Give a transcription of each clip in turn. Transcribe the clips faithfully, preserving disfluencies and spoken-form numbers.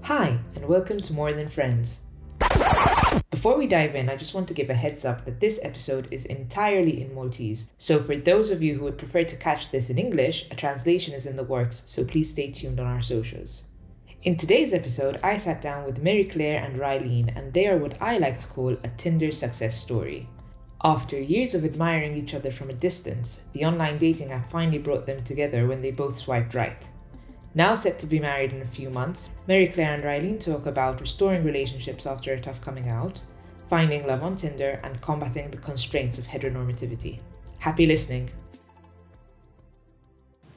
Hi, and welcome to More Than Friends. Before we dive in, I just want to give a heads up that this episode is entirely in Maltese. So, for those of you who would prefer to catch this in English, a translation is in the works, so please stay tuned on our socials. In today's episode, I sat down with Mary Claire and Rylene, and they are what I like to call a Tinder success story. After years of admiring each other from a distance, the online dating app finally brought them together when they both swiped right. Now set to be married in a few months, Mary Claire and Rylene talk about restoring relationships after a tough coming out, finding love on Tinder, and combating the constraints of heteronormativity. Happy listening!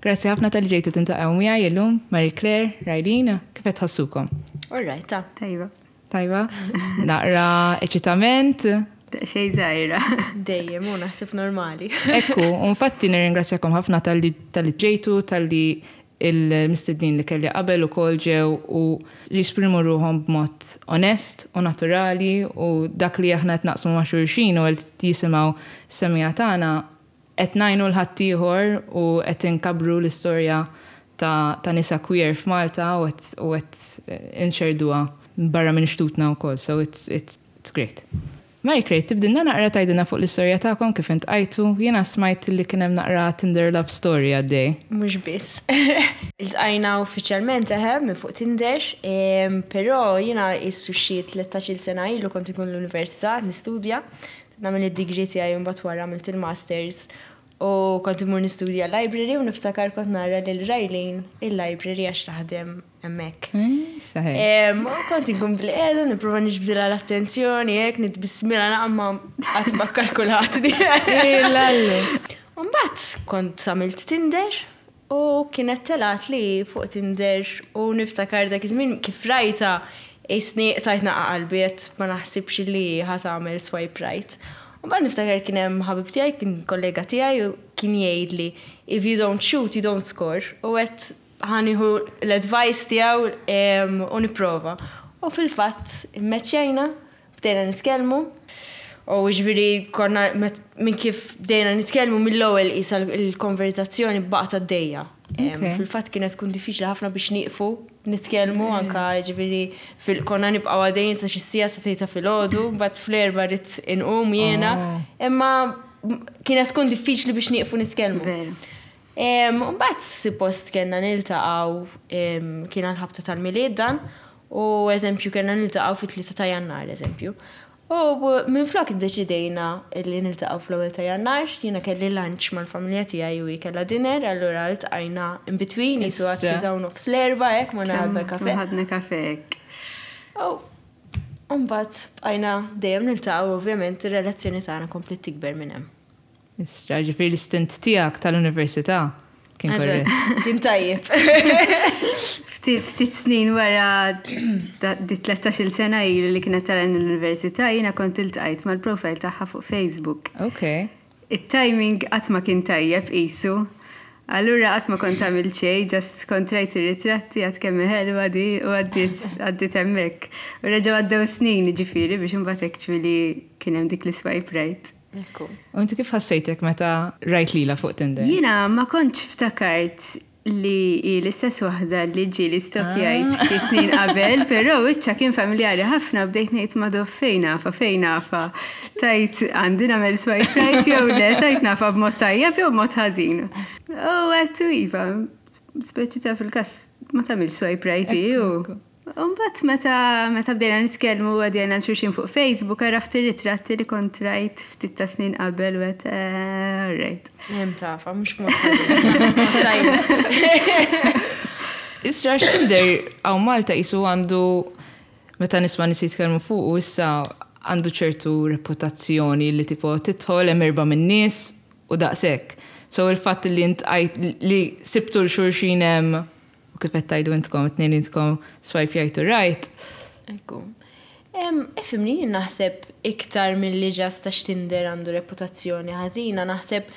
Grazzi ħafna talli ġejtu tiltaqgħu miegħi illum, Marie Claire, Rylene, kif qed tħossukom? All right, ta. Tajba. Tajba? Naqra eċitament? Xej żgħira. Dejjem, u naħseb normali. Ekku, infatti nirringrazzjakom ħafna talli talli ġejtu, talli il-mistednin li kelli qabel ukoll ġew u li jesprimu ruħhom b'mod onest u naturali u dak li aħna qed naqsmu ma' xulxin u qed jisimgħu semija tagħna qed ngħinu 'l ħaddieħor u qed inkabbru l-istorja ta', ta' nisa queer f'Malta u qed u qed inxerduha barra minn xtutna wkoll. So it's, it's, it's great. Mary Claire, tibdilna naqra tgħidilna fuq l-istorja tagħkom kif iltqajtu, jiena smajt li kien hemm naqra Tinder love story għaddej. Mhux biss. Iltqajna uffiċjalment eħe minn fuq Tinder, em, però jiena issu xi tlettax-il sena ilu kont ikun l-università nistudja, nagħmel id-degree tiegħi u mbagħad wara għamilt il-masters u kont imur nistudja library u niftakar kont nara lil Rylene il-library għax taħdem hemmhekk. Saħej. Em, u kont inkun bil-qiegħda, nipprova niġbdilha l-attenzjoni, hekk nitbissmilha naqma qatt ma kkalkulat di. Mbagħad kont għamilt Tinder u kienet telat li fuq Tinder u niftakar dak iż-żmien kif rajta isni tajt naqa qalbi qed ma naħsibx li ħa tagħmel swipe right. U mbagħad niftakar kien hemm ħabib tiegħi, kien kollega tiegħi u kien jgħidli "If you don't shoot, you don't score." U għedt ħa nieħu l-advice tiegħu em, u nipprova. U fil-fatt immeċċjajna, bdejna nitkellmu. U ġifieri konna met- minn kif bdejna nitkellmu mill-ewwel isa l-konverzazzjoni baqgħet għaddejja. Em, Okay. Fil-fatt kienet tkun diffiċli ħafna biex nieqfu nitkellmu anka ġifieri fil konna nibqgħu għaddejjin sa xi siegħa sa tlieta filgħodu, mbagħad fl-erba' rrid inqum jiena. Oh. Imma kienet tkun diffiċli biex nieqfu nitkellmu. Veru. Em, Mbagħad suppost kellna niltaqgħu em, kien għal-ħabta tal-Milied dan u eżempju kellna niltaqgħu fit-tlieta ta' Jannar eżempju. U minn flok iddeċidejna li niltaqgħu fl-ewwel ta' Jannar, jiena kelli lunch mal-familja tiegħi u hi kellha dinner, allura ltqajna in between, jisu Istra. għat-tlieta u nofs l-erbgħa hekk ma ħadna kafe. Ħadna kafe hekk. U mbagħad bqajna dejjem niltaqgħu, ovvjament ir-relazzjoni tagħna kompliet tikber minn hemm. Istra, ġifieri l-istint tiegħek tal-università kien Eżatt, korrett. Kien tajjeb. Ftit ftit snin wara da- di tlettax-il sena ilu li kienet tara l-università, jiena kont iltqajt mal-profile tagħha fuq Facebook. Ok. Il-timing qatt ma kien tajjeb qisu. Allura qatt ma kont għamilt xejn, just kont rajt ir-ritratti għedt kemm ħelwa di u għaddit għaddit hemmhekk. U reġgħu għaddew snin ġifieri biex imbagħad actually kien hemm dik l-swipe right. Ekku. U inti kif ħassejtek meta rajt lila fuq Tinder? Jiena ma kontx ftakart li hi l-istess waħda li ġieli stalkjajt ftit snin qabel, però wiċċha kien familjari ħafna, bdejt ngħid ma fejn nafha, fejn nafha. Tajt għandi nagħmel swipe right jew le, tajt nafha b'mod tajjeb jew b'mod ħażin. U għedtu iva, speċi ta' fil-każ ma tagħmel swipe right u. Mbagħad meta meta bdejna nitkellmu u għadjajna xulxin fuq Facebook, għaraft ir-ritratti li kont rajt ftit ta' snin qabel u għedt, eh, all right. Hemm tafa, mhux mod ħażin. Isra, Tinder hawn Malta jisu għandu, meta nisma' nies jitkellmu fuq u issa għandu ċertu reputazzjoni li tipo tidħol hemm erba' minn nies u daqshekk. So il-fatt li int li sibtu 'l xulxin hemm u kif qed tgħidu intkom it-tnejn intkom swipe right to right. Ekku. Em, Ifhimni, jien naħseb iktar mill-li just għax Tinder għandu reputazzjoni ħażina, naħseb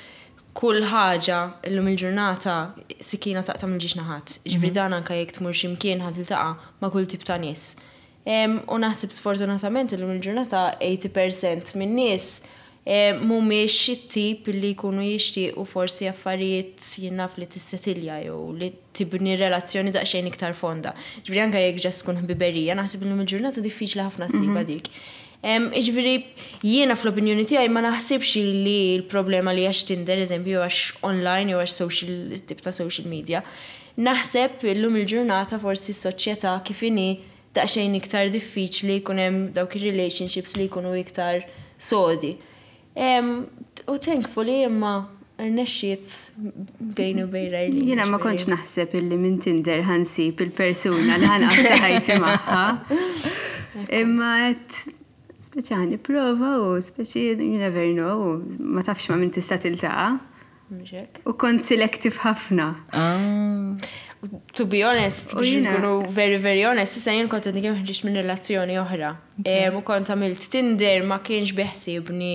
kull ħaġa illum il-ġurnata sikina taqta' mill-żewġ naħat. Ġifieri dan anka jekk tmur x'imkien ħa tiltaqa' ma' kull tip ta' nies. Em, U naħseb sfortunatament illum il-ġurnata tmenin fil-mija minn nies eh, mhumiex it-tip li jkunu jixtiequ forsi affarijiet jien naf li tissetilja jew li tibni relazzjoni daqsxejn iktar fonda. Ġifieri anke jekk just tkun ħbiberija, naħseb illum il-ġurnata diffiċli ħafna ssibha dik. Em, Ġifieri, jiena fl-opinjoni tiegħi ma naħsibx li l-problema li għax Tinder, eżempju, għax online jew għax social, tip ta' social media. Naħseb illum il-ġurnata forsi s-soċjetà kif inhi daqsxejn iktar diffiċli jkun hemm dawk ir-relationships li jkunu iktar sodi. Em, U thankfully imma rnexxiet bejni u bejn Riley. Jiena ma kontx naħseb illi minn Tinder ħa nsib il-persuna li ħa nqatta' ħajti magħha. Imma għedt speċi ħa nipprova u speċi you never know, ma tafx ma' min tista' tiltaqa'. Mhux hekk. U kont selective ħafna. Ah. To be honest, U biex jiena- nkunu very, very honest, issa jien kont għadni kemm ħriġt minn relazzjoni oħra. Em, U kont għamilt Tinder ma kienx beħsibni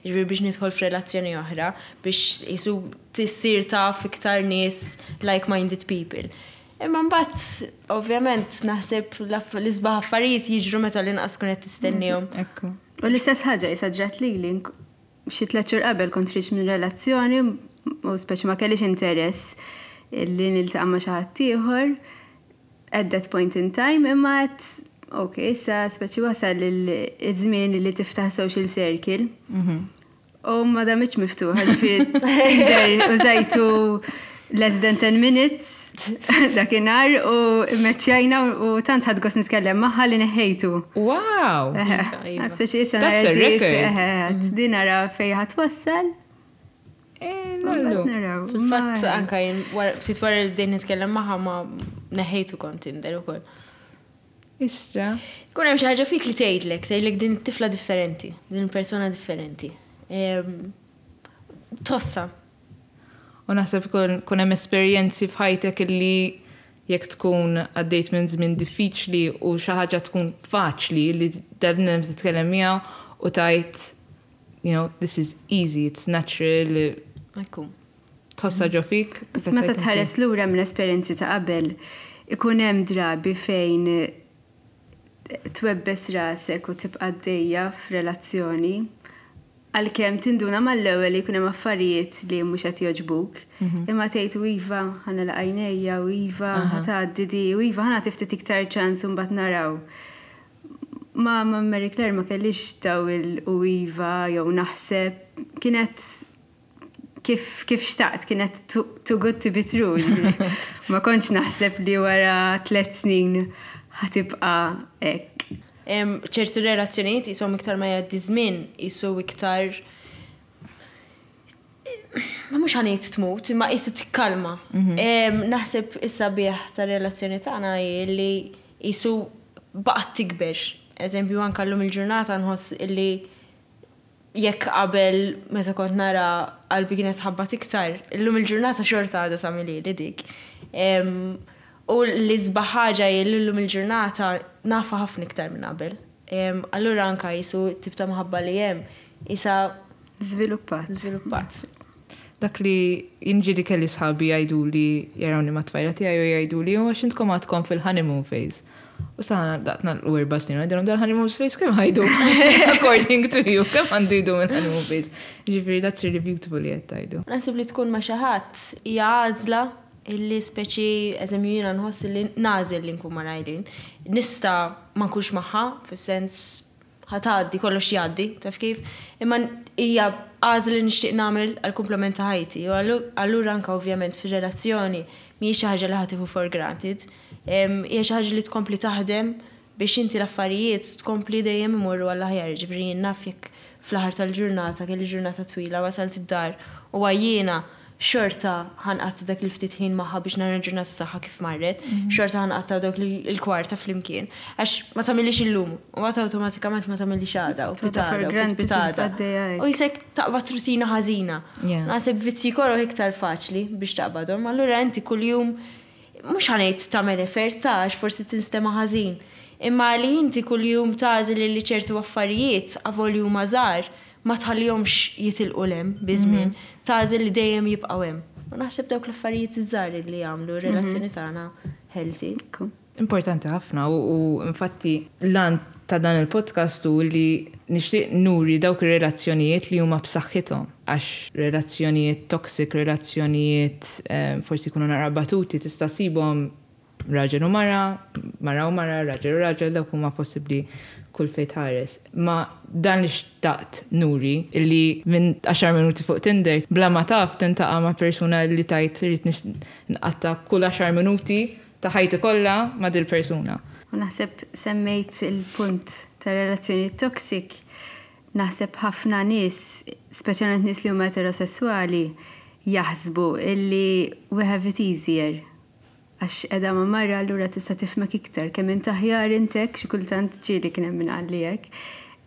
ġifieri biex nidħol f'relazzjoni oħra, biex jisu tissir taf iktar nies like-minded people. Imma mbagħad, ovvjament, naħseb l-aff- l-isbaħ affarijiet jiġru meta l-inqas tkun qed tistennihom. Ekku. U l-istess ħaġa issa ġrat li li xi tliet xhur qabel kont ħriġt minn relazzjoni u speċi ma kellix interess li niltaqa' ma' xi ħadd ieħor at that point in time imma għedt ok, issa speċi wasal il-żmien li tiftaħ social circle. U ma damitx miftuħa, ġifieri Tinder użajtu less than ten minutes dakinhar u mmeċċjajna u tant ħadt gost nitkellem magħha li neħħejtu. Wow! Iva. Għad speċi issa That's a nara di- record. eħe, għad di nara fej ħa twassal. Eh, Mbagħad nallu. naraw. Fil-fatt Ma- anka jien wara- ftit wara li bdejt nitkellem magħha ma neħejtu kont Tinder ukoll. Istra. Kun hemm xi ħaġa fik li tgħidlek, tgħidlek din tifla differenti, din persona differenti. Em, Tossa. U naħseb kun kun hemm esperjenzi f'ħajtek illi jekk tkun għaddejt minn żmien diffiċli u xi ħaġa tkun faċli li dal-bniedem titkellem miegħu u tgħid, you know, this is easy, it's natural, Ekku. tħossha ġo fik. kif Meta tgħid tħares lura minn esperjenzi ta' qabel, ikun hemm drabi fejn twebbes rasek u tibqa' għaddejja f'relazzjoni, għalkemm tinduna mal-ewwel li jkun hemm affarijiet li mhux qed jogħġbuk, imma tgħid u iva ħa nagħlaq għajnejja u iva ħa tgħaddi di u iva ħa nagħti ftit iktar ċans u mbagħad naraw. Ma ma Mary Claire ma kellix daw il u iva jew naħseb kienet kif, kif xtaqt, kienet too, too good to be true. Ma kontx naħseb li wara tliet snin ħa tibqa' hekk. Em, ċertu relazzjonijiet jisom iktar ma jgħaddi żmien, jisu iktar ma mhux ħa ngħid tmut, imma jisu tikkalma. Em, Naħseb is-sabiħ ta' relazzjoni tagħna hi li jisu baqgħet tikber. Eżempju, anka llum il-ġurnata nħoss illi jekk qabel meta kont nara qalbi kienet ħabbat iktar, illum il-ġurnata xorta għadha tagħmilli li dik. Em, U l-isbaħ ħaġa hi li llum il-ġurnata nafa ħafna iktar minn qabel. Em, Allura anka jisu tip ta' mħabba li hemm isa Żviluppat. żviluppat. Dak li jiġri li kelli sħabi jgħidu li jarawni ma' tfajla tiegħi u jgħidu li għax intkom għadkom fil-honeymoon phase. U saħna daqtna l-erba snin, għidilhom dal-honeymoon phase kemm ħa jdum? According to you, kemm għandu jdum il-honeymoon phase? Ġifieri, that's really beautiful li qed tgħidu. Naħseb li tkun ma' xi ħadd hija għażla illi speċi eżempju jiena nħoss li nagħżel li nkun ma' Raylene. Nista' ma nkunx magħha, fis-sens ħa tgħaddi, kollox jgħaddi, taf kif? Imma hija għażla li nixtieq nagħmel għal kumplament ta' ħajti. U allu- allura anka ovvjament fir-relazzjoni mhijiex xi ħaġa li ħa tieħu for granted. Em, Hija xi ħaġa li tkompli taħdem biex inti l-affarijiet tkompli dejjem imorru għall-aħjar. Ġifieri jien naf jekk fl-aħħar tal-ġurnata kelli ġurnata twila wasalt id-dar u għajjiena xorta ħa nqatta' dak il-ftit ħin magħha biex nara l-ġurnata tagħha kif marret, xorta ħa nqatta' dak il-kwarta flimkien. Għax ma tagħmilix illum, u għata awtomatikament ma tagħmilix għada, u Tieħudha for pitgħada, u granted, pitgħada. tibqa' għaddejja hekk. U jisek taqbad rutina ħażina. Yeah. Naħseb vizzji koroh iktar faċli biex taqbadhom, allura inti kuljum mhux ħa ngħid tagħmel effort ta' għax forsi tinstema' ħażin. Imma li inti kuljum tagħżel li ċertu affarijiet avolja huma żgħar ma tħallihomx jitilqu 'l hemm biż-żmien, tagħżel li dejjem jibqgħu hemm. U naħseb dawk l-affarijiet iż-żgħar li jagħmlu r-relazzjoni tagħna healthy. Ekku. Importanti ħafna u, u infatti l-għan ta' dan il-podcast u li nixtieq nuri dawk ir-relazzjonijiet li huma b'saħħithom, għax relazzjonijiet toxic, relazzjonijiet eh, forsi jkunu naqra batuti, tista' ssibhom raġel u mara, mara u mara, raġel u raġel, dawk huma possibbli kull fejn tħares. Ma dan li xtaqt nuri illi minn għaxar minuti fuq Tinder, bla ma taf tiltaqa' ma' persuna li tgħid irrid nqatta' kull għaxar minuti ta' ħajti kollha ma' dil persuna. U naħseb semmejt il-punt ta' relazzjoni toxic, naħseb ħafna nies, speċjalment nies li huma eterosessuali, jaħsbu illi we have it easier. Għax edha ma' mara, allura tista' tifhmek iktar, kemm int aħjar intek, xi kultant ġieli kien hemm min qalli hekk.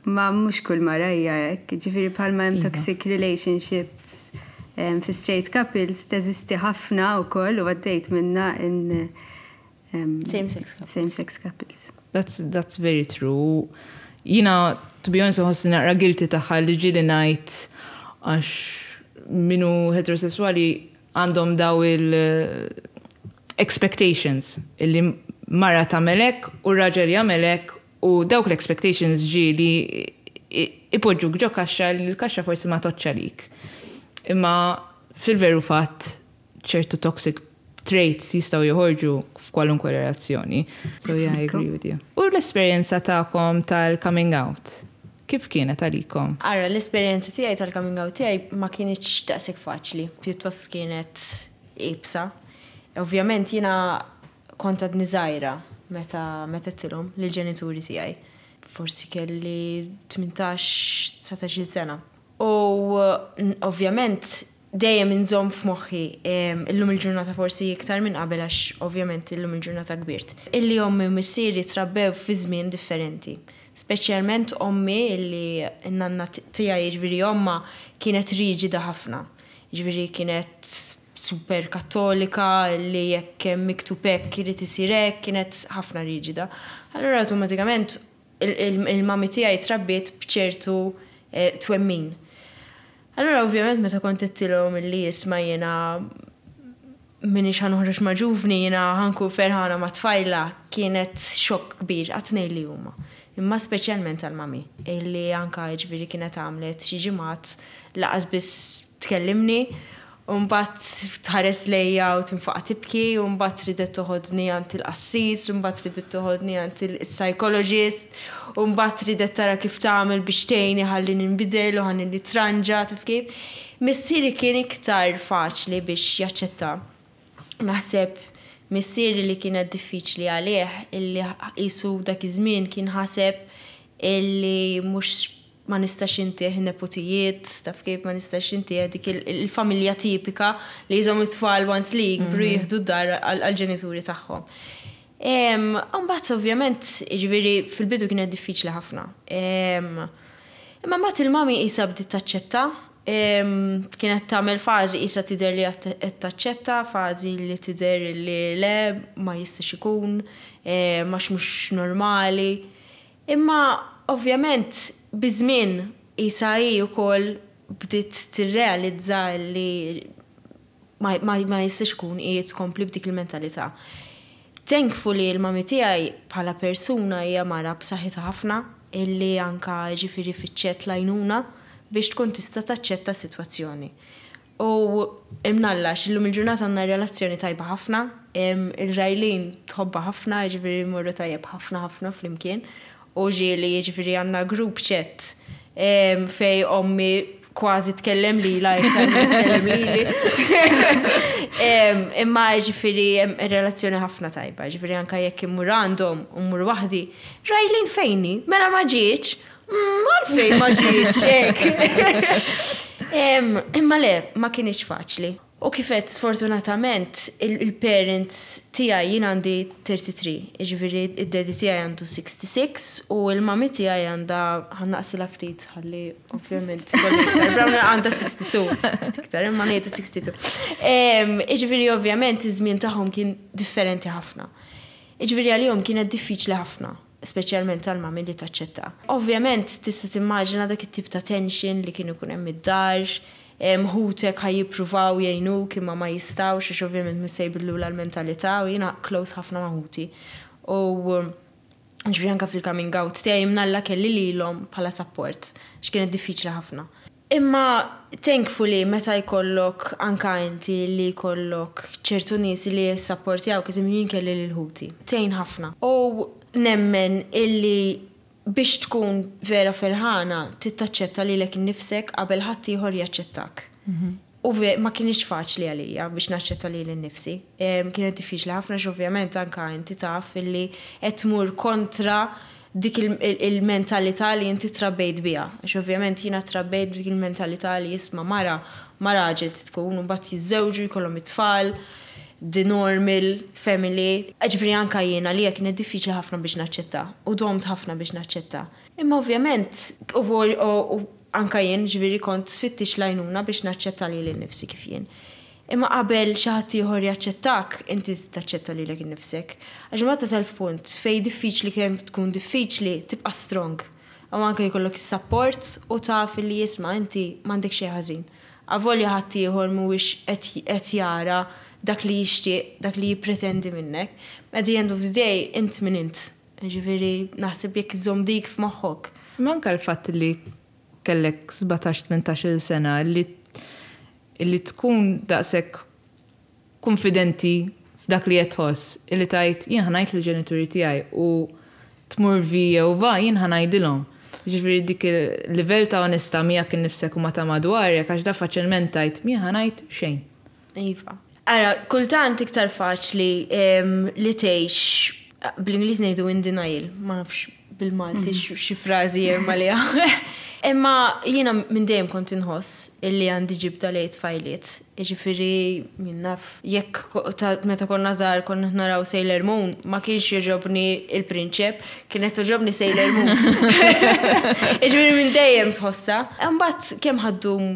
Ma mhux kull mara hija hekk, ġifieri bħalma hemm Iva. toxic relationships em, fi straight couples teżisti ħafna wkoll u għaddejt minna in em, Same-sex couples. Same-sex couples. That's, that's very true. Jiena, to be honest, nħossni naqra guilty tagħha li ġieli ngħid, għax min hu heterosessuali għandhom daw il eh, expectations illi mara tagħmelek u raġel jagħmelek, u dawk l-expectations ġieli ipoġġuk ġo kaxxa li l-kaxxa forsi ma tgħoddx għalik. Imma fil-veru fatt ċertu toxic traits jistgħu joħorġu f'kwalunkwe relazzjoni. So yeah, I agree with you. U l-esperjenza tagħkom tal-coming out, kif kienet għalikom? Ara, l-esperjenza tiegħi tal-coming out tiegħi ma kinitx daqshekk faċli, pjuttost kienet iebsa. Ovvjament jiena kont għadni żgħira meta meta għedtilhom lill-ġenituri tiegħi. Forsi kelli tmintax, dsatax-il sena. U n- ovvjament dejjem inżomm f'moħħi, em, illum il-ġurnata forsi iktar minn qabel, għax ovvjament illum il-ġurnata kbirt. Illi ommi u missieri trabbew fi żmien differenti. Speċjalment ommi, illi n-nanna tiegħi, jiġifieri omma, kienet riġida ħafna. Jiġifieri kienet super kattolika, li jekk hemm miktub hekk irid isir hekk, kienet ħafna riġida. Allura awtomatikament il-mami tiegħi trabbiet b'ċertu eh, twemmin. Allura ovvjament meta kont għedtilhom illi isma', jiena minix ħa noħroġ ma' ġuvni, jiena ħa nkun ferħana ma' tfajla, kienet xokk kbir għat-tnejn li huma. Imma speċjalment għal-mami, illi anka ġifieri kienet għamlet xi ġimgħat lanqas biss tkellimni, u mbagħad tħares lejja u tinfaqa' tibki, u mbagħad ridet toħodni għand il-qassis, u mbagħad ridet toħodni għand il-psychologist, u mbagħad ridet tara kif tagħmel biex tgħinni ħalli ninbidel u ħalli nitranġa, taf kif. Missieri kien iktar faċli biex jaċċetta. Naħseb missieri li kienet diffiċli għalih illi qisu dak iż-żmien kien ħaseb illi mhux ma nistax intih neputijiet, taf kif, ma nistax intih dik il-familja tipika li jżommu it-tfal once li jikbru jieħdu d-dar għal-ġenituri tagħhom. Mbagħad ovvjament, ġifieri fil-bidu kienet diffiċli ħafna. Imma mbagħad il-mami qisha bdiet taċċetta, kienet tagħmel fażi qisha tidher li qed taċċetta, fażi li tidher li le, ma jistax ikun, għax mhux normali. Imma ovvjament biż-żmien qisha hi wkoll bdiet tirrealizza li ma, ma, ma jistax ikun hi tkompli b'dik il-mentalità. Thankfully il-mami tiegħi bħala persuna hija mara b'saħħitha ħafna, illi anka ġifieri fittxet l-għajnuna biex tkun tista' taċċetta s-sitwazzjoni. U imnalla illum il-ġurnata għandna relazzjoni tajba ħafna, il-Rajlin tħobba ħafna, ġifieri morru tajjeb ħafna ħafna flimkien. U ġieli ġifieri għandna group chat fejn ommi kważi tkellem li la iktar tkellem lili. Imma ġifieri relazzjoni ħafna tajba, ġifieri anka jekk immur għandhom u mmur waħdi, "Rajlin fejn hi? Mela ma ġietx?" Mm, għalfejn ma ġietx, hekk. Imma le, ma kinitx faċli. U kif għedt, sfortunatament il-parents tiegħi, jien għandi tlieta u tletin, ġifieri id-daddy tiegħi għandu sitta u sittin u il-mami tiegħi għandha, ħa nnaqqsilha ftit, ħalli ovvjament brown, għandha sitta u sittin, ftit iktar, imma ngħidu sitta u sittin. Ġifieri ovvjament iż-żmien tagħhom kien differenti ħafna. Ġifieri għalihom kienet diffiċli ħafna, speċjalment tal-mami li taċċetta. Ovvjament tista' timmaġina dak it-tip ta' tension li kien ikun hemm id-dar, ħutek ħa jippruvaw jgħinuk imma ma jistgħux għax ovvjament mhux se jbidlu l-mentalità, u jiena close ħafna ma' ħuti. U Ġifieri anka fil-coming out tiegħi mnalla kelli lilhom bħala support, x'kienet diffiċli ħafna. Imma thankfully meta jkollok anka inti li jkollok ċertu nies li jissapportjaw, kizim jien kelli lil ħuti. Tgħin ħafna. U nemmen illi biex tkun vera ferħana tittaċċetta lilek innifsek qabel ħadd ieħor jaċċettak. U ve, ma kienx faċli għalija biex naċċetta lili nnifsi. Kienet diffiċli ħafna ovvjament, anka inti taf illi qed tmur kontra dik il-mentalità li inti trabbejt biha. Għax ovvjament jiena trabbejt dik il-mentalità li jisma' mara ma raġel tkun u mbagħad jiżżewġu, jkollhom it-tfal, the normal family. Ġifieri anka jiena li kienet diffiċli ħafna biex naċċetta u domt ħafna biex naċċetta. Imma ovvjament u anka jien ġifieri kont fittixt l-għajnuna biex naċċetta lili nnifsi kif jien. Imma qabel xi ħadd ieħor jaċċettak, inti taċċetta lilek innifsek. Għax ma tasal f'punt fej diffiċli kemm tkun diffiċli tibqa' strong. U anke jkollok is-support u taf li jisma' inti m'għandek xejn ħażin. Avolja ħadd ieħor mhuwiex qed jara dak li jixtieq, dak li jippretendi minnek. At the end of the day, int min int. Ġifieri naħseb jekk iżomm dik f'moħħok. Manka l-fatt li kellek sbatax tmintax-il sena li li tkun daqshekk konfidenti f'dak li qed tħoss, illi tgħid jien ħa ngħid lill-ġenituri tiegħi u tmur vi jew va jien ħa ngħidilhom. Ġifieri dik il-livell ta' onesta miegħek innifsek u ma ta' madwarek, għax da faċilment tgħid jien ħa ngħid xejn. Iva. Ara, kultant iktar faċli li tgħix, bl-Ingliż ngħidu in denial, ma nafx bil-Malti xi frażi hemm għaliha. Imma jiena minn dejjem kont inħoss illi għandi ġibda lejn tfajliet. Ġifieri jien naf jekk meta konna żgħar konna naraw Sailor Moon, ma kienx jogħġobni il-prinċep, kienet togħġobni Sailor Moon. Ġifieri minn dejjem tħossha. Imbagħad kemm ħa ddum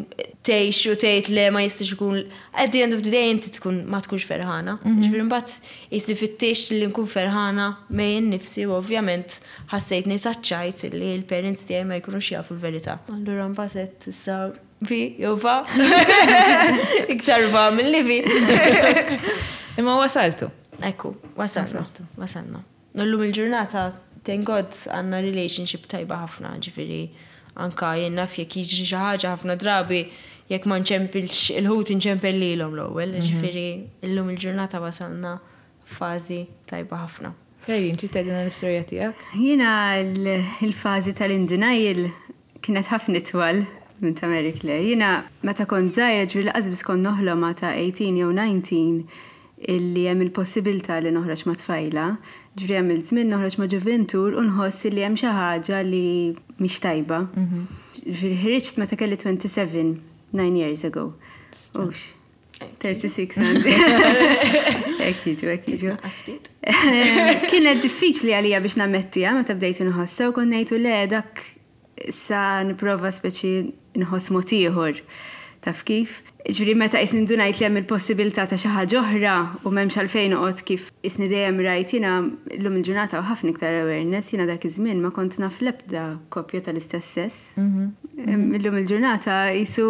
tgħix u tgħid le, ma jistax ikun, at the end of the day inti tkun ma tkunx ferħana. Ġifieri mbagħad jisli fittex li nkun ferħana miegħi nnifsi u ovvjament ħassejtni taċċajt li l-parents tiegħi ma jkunux jafu l-verità. Allura mbagħad issa vi jew va. Iktar va mill-li vi. Imma wasaltu. Ekku, wasalna. Wasalna. Illum il-ġurnata, thank God, għandna relationship tajba ħafna, ġifieri anka jien naf jekk jiġri xi ħaġa, ħafna drabi jekk ma nċempilx il-ħut nċempel lilhom l-ewwel, ġifieri illum il-ġurnata wasalna fażi tajba ħafna. Claudine, trid tgħidilna l-istorja tiegħek? Jiena il-fażi tal-in denial kienet ħafna itwal minn ta' Mary Claire. Jiena meta kont żgħira, ġifieri lanqas biss kont noħlom ta' tmintax jew dsatax illi hemm il-possibilità li noħroġ ma' tfajla. Ġifieri hemm il-żmien noħroġ ma' ġuventur u nħoss li hemm xi ħaġa li mhix tajba. Ġifieri ħriġt meta kelli twenty-seven, nine years ago. Ux, thirty-six għandi. Hekk jiġu, hekk jiġu. Kienet diffiċli għalija biex nammettija meta bdejt inħossa u kont ngħidu le, dak sa nipprova speċi nħoss mod ieħor. Taf kif? Ġifieri meta qisni ndunajt li hemm il-possibilità ta' xi ħaġa oħra u m'hemmx għalfejn noqgħod kif qisni dejjem rajt jiena, llum il-ġurnata u ħafna iktar awareness, jiena dak iż-żmien ma kont naf l-ebda koppja tal-istess sess. Illum il-ġurnata jisu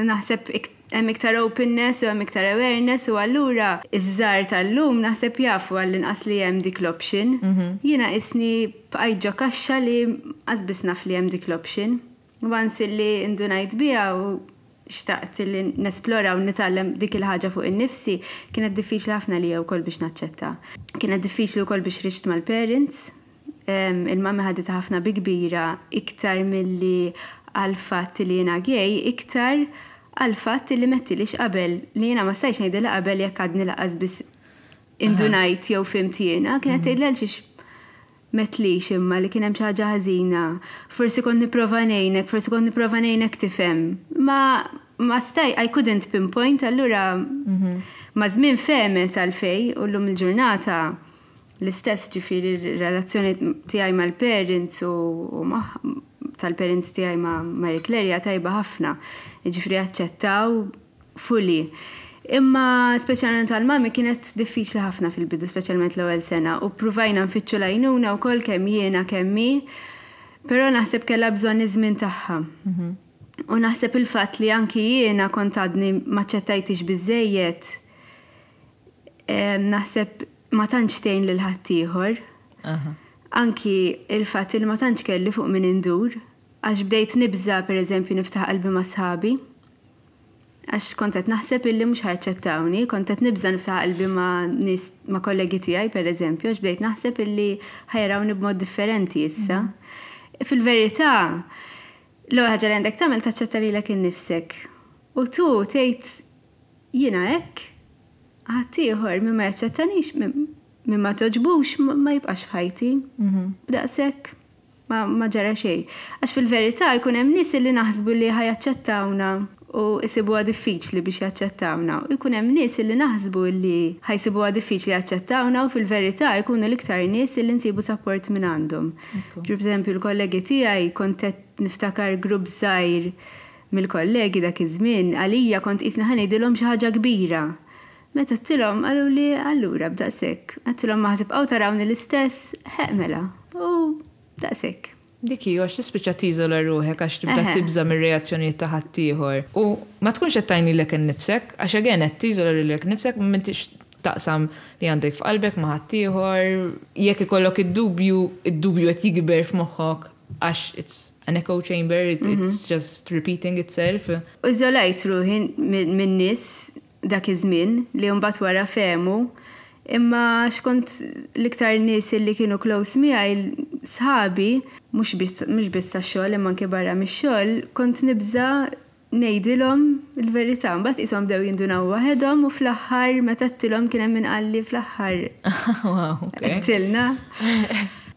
naħseb hemm iktar openness u hemm iktar awareness u allura iż-żgħar tal-lum naħseb jafu għall-inqas li hemm dik l-option. Jiena qisni bqajt ġo kaxxa li qas naf li hemm dik l-option. Once li indunajt biha u xtaqt li nesplora u nitgħallem dik il-ħaġa fuq in-nifsi, kienet diffiċli ħafna li wkoll biex naċċetta. Kienet diffiċli wkoll biex ħriġt mal-parents. Il-mami ħaditha ħafna bi kbira, iktar milli għal-fatt li jiena gay, iktar għal-fatt li m'għedtlix qabel, li jiena ma stajtx ngħidilha qabel jekk għadni lanqas biss indunajt jew fhimt jiena, kienet tgħidli għalxiex m'għedtlix imma li kien hemm xi ħaġa ħażina. Forsi kont nipprova ngħinek, forsi kont nipprova ngħinek tifhem. Ma ma staj, I couldn't pinpoint, allura ma żmien fehmet għalfej u llum il-ġurnata l-istess, ġifieri relazzjoni tiegħi mal-parents u, u tal-parents tiegħi ma' Marie Claire tajba ħafna. Ġifieri aċċettaw fully. Imma speċjalment għal-mami kienet diffiċli ħafna fil-bidu, speċjalment l-ewwel sena, u provajna nfittxu l-għajnuna wkoll kemm jiena kemm hi, però naħseb kellha bżonn iż-żmien tagħha. U naħseb il-fatt li anki jiena kont għadni m'aċċettajtix biżejjed, naħseb ma tantx tgħin lil ħaddieħor. Anki il-fatt li ma tantx kelli fuq min indur, għax bdejt nibża, per eżempju, niftaħ qalbi ma' sħabi. Għax kont qed naħseb illi mhux ħa jaċċettawni, kont qed nibża niftaħ qalbi ma' nies, ma' kollegi tiegħi, per eżempju, għax bdejt naħseb illi ħa jarawni b'mod differenti issa. Fil-verità, l-ewwel ħaġa li għandek tagħmel, taċċetta lilek innifsek. U tu tgħid, "Jiena hekk, ħaddieħor min ma jaċċettanix, min ma togħġbux, ma jibqax f'ħajti." B'daqshekk ma, ma ġara xejn. Għax fil-verità jkun hemm nies li naħsbu li ħa jaċċettawna u jsibuha diffiċli biex jaċċettawna. U jkun hemm nies li naħsbu li ħa jsibuha diffiċli jaċċettawna u fil-verità jkunu l-iktar nies li nsibu support minn għandhom. Per eżempju, l-kollegi tiegħi, kont qed niftakar grupp żgħir mill-kollegi dak iż-żmien, għalija kont qisni ħa ngħidilhom xi ħaġa kbira. Meta għedtilhom, qalu li, "Allura b'daqshekk." Għedtilhom, "Ma ħa tibqgħu tarawni l-istess, ħeq mela." U daqshekk. Dik hi, għax tispiċċa tiżola ruħek għax tibda Eħe. tibża mir-reazzjonijiet ta' ħaddieħor. U ma tkunx qed tgħin lilek innifsek, għax again qed tiżola lilek innifsek, m'intix taqsam li għandek f'qalbek ma' ħaddieħor. Jekk ikollok id-dubju, id-dubju qed jikber f'moħħok għax it's an echo chamber, it, it's just repeating itself. U iżolajt ruħi minn nies dak iż-żmien li mbagħad wara fehmu, imma xkont l-iktar nies li kienu close miegħi, sħabi, mhux biss mhux biss tax-xogħol imma anke barra mix-xogħol, kont nibża ngħidilhom il-verità. Mbagħad qishom bdew jindunaw waħedhom u fl-aħħar meta għedtilhom kien hemm min qalli, "Fl-aħħar Wow, okay. għedtilna."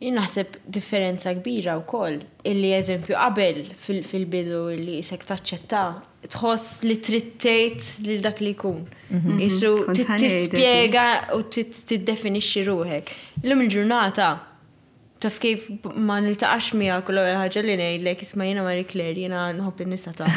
Jien naħseb differenza kbira wkoll illi, eżempju, qabel fil- fil-bidu illi qisek taċċetta, tħoss li trid tgħid lil dak li jkun. Isu Kont ħa ngħidha. tispjega u tiddefinixxi ruħek. Illum il-ġurnata, taf kif, ma niltaqax miegħek u l-ewwel ħaġa li ngħidlek, "Isma', jiena Marie Claire, jiena nħobb in-nisa ta'."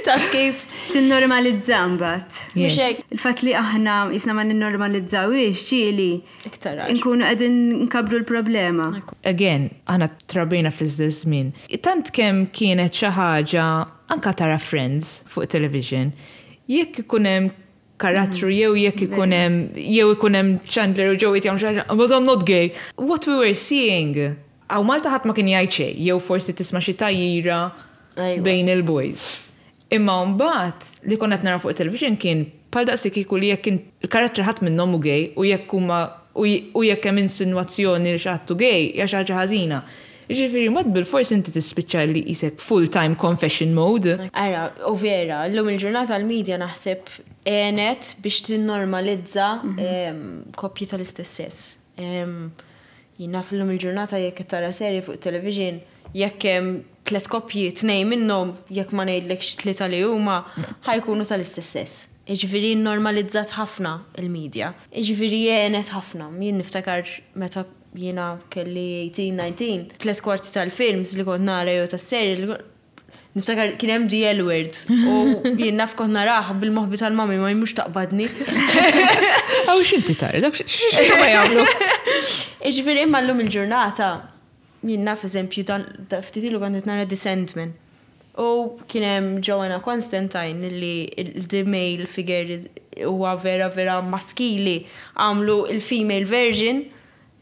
Taf kif? Tinnormalizza mbagħad. Mhux Yes. hekk? Il-fatt li aħna qisna ma ninnormalizzawix ġieli Iktar għax. nkunu qegħdin nkabru l-problema. Again, aħna trabbejna fl-istess żmien. Tant kemm kienet xi ħaġa anka tara Friends fuq television, jekk ikun hemm karattru jew jekk ikun hemm jew ikun hemm Chandler u Joey jagħmlu xi ħaġa, "But I'm not gay." What we were seeing, hawn Malta ħadd ma kien jgħid xejn, jew forsi tisma' xi tgħajjira Ajwa. bejn il-boys. Imma mbagħad li konna qed naraw fuq television kien bħal daqsi kieku li jekk il-karattri ħadd minnhom hu gay u jekk huma u u jekk hemm insinuazzjoni li xi ħadd hu gay hija xi ħaġa ħażina. Jiġifieri mod bil-fors inti tispiċċa li qisek full-time confession mode. Ara, u vera, l-lum il-ġurnata l-medja naħseb għenet biex tinnormalizza em, koppji tal-istess sess. Em, Jien naf l-lum il-ġurnata jekk tara serje fuq television, jekk hemm tliet koppji, tnejn minnhom, jekk ma ngħidlekx tlieta li huma, ħa jkunu tal-istess sess. Jiġifieri normalizzat ħafna il-medja. Jiġifieri għenet ħafna. Jien niftakar meta jiena kelli tmintax, dsatax, tliet kwarti tal-films li kont nara jew tas-serje li kont niftakar kien hemm The L Word u jien naf kont narah bil-moħbi tal-mami ma jmux taqbadni. Aw, x'inti tara, dak x'inhu ma jagħmlu. Jiġifieri imma llum il-ġurnata jien naf, eżempju, dan da- ftit ilu kont qed nara The Sandman. U kien hemm Joanna Constantine li il- the male figure huwa vera vera maskili, għamlu il-female version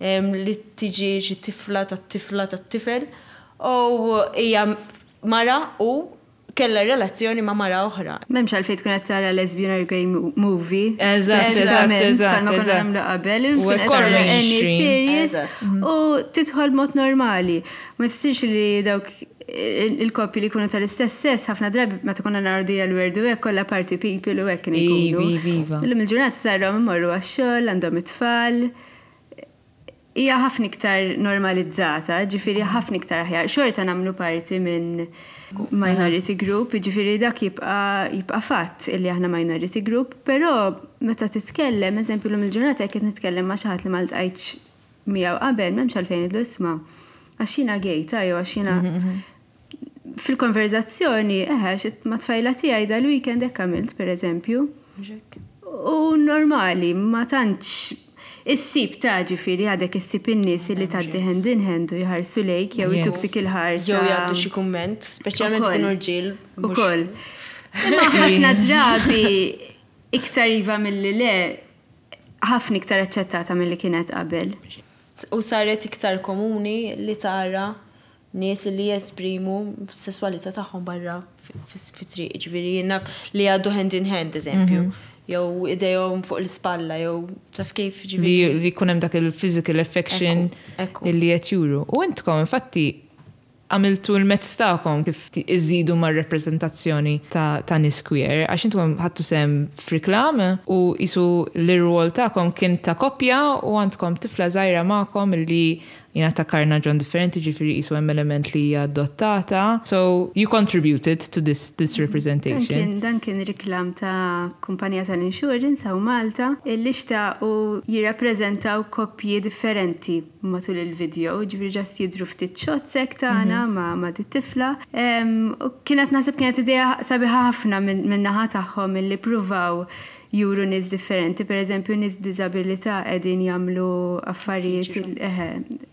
em, li tiġi xi tifla tat-tifla tat-tifel u hija mara u kella relazzjoni ma' mara oħra. M'hemmx għalfejn tkun qed tara lesbian or gay mo- movie. Eżatt, eżatt, Precisament, eżatt, bħalma konna eżatt. nagħmlu qabel, U tkun qed hekk tara any mainstream. series Eżatt. u tidħol mod normali. Ma jfissirx li dawk il- il-koppji li jkunu tal-istess sess, ħafna drabi meta konna naraw The L Word u hekk, kollha party people u hekk kienu jkunu. Ivi, iva. Illum il-ġurnata sarhom imorru għax-xogħol, għandhom it-tfal. Hija ħafna iktar normalizzata, ġifieri ħafna iktar aħjar. Xorta nagħmlu parti minn minority group, ġifieri dak jibqa' jibqa' fatt illi aħna minority group, però meta titkellem, eżempju, llum il-ġurnata jekk qed nitkellem ma' xi ħadd li ma ltqajtx miegħu qabel, m'hemmx għalfejn ngħidlu, "Isma', għax jiena gay ta'," jew għax jiena fil-konverzazzjoni, eħe, xit ma tfajla tiegħi dal-weekend hekk għamilt, per eżempju. U normali, ma tantx issib ta', ġifieri għadek issib in-nies li tgħaddi hand in hand u jħarsu lejk jew Yes. ituk dik il-ħarsa. Jew jgħaddu xi kumment, speċjalment Ukoll. ikunu rġiel. mhux- Ukoll. Imma ħafna drabi iktar iva milli le, ħafna iktar aċċettata milli kienet qabel. U saret iktar komuni li tara nies li jesprimu sessualità tagħhom barra fit-triq, ġifieri jiena li għaddu hand in hand, eżempju. Jew idejhom fuq l-ispalla, jew taf kif, ġifieri. Li jkun hemm dak il-physical affection illi qed juru. U intkom infatti għamiltu l-mezz tagħkom kif iżidu mar-reprezentazzjoni ta', ta nies queer, għax intom ħadtu sehem f'reklam u qisu l-rwol tagħkom kien ta' koppja u għandkom tifla żgħira magħkom illi jiena ta' karnaġon differenti, ġifieri qisu hemm element li hija adottata. So you contributed to this, this representation. Dan kien reklam ta' kumpanija tal-insurance hawn Malta illi xtaqu jirrappreżentaw koppji differenti matul il-video, ġifieri just jidru ftit shots hekk tagħna mhm. ma' ma' tifla. Kienet naħseb kienet idea sabiħa ħafna minn naħa tagħhom illi pruvaw juru nies differenti, per eżempju nies b'diżabilità qegħdin jagħmlu affarijiet,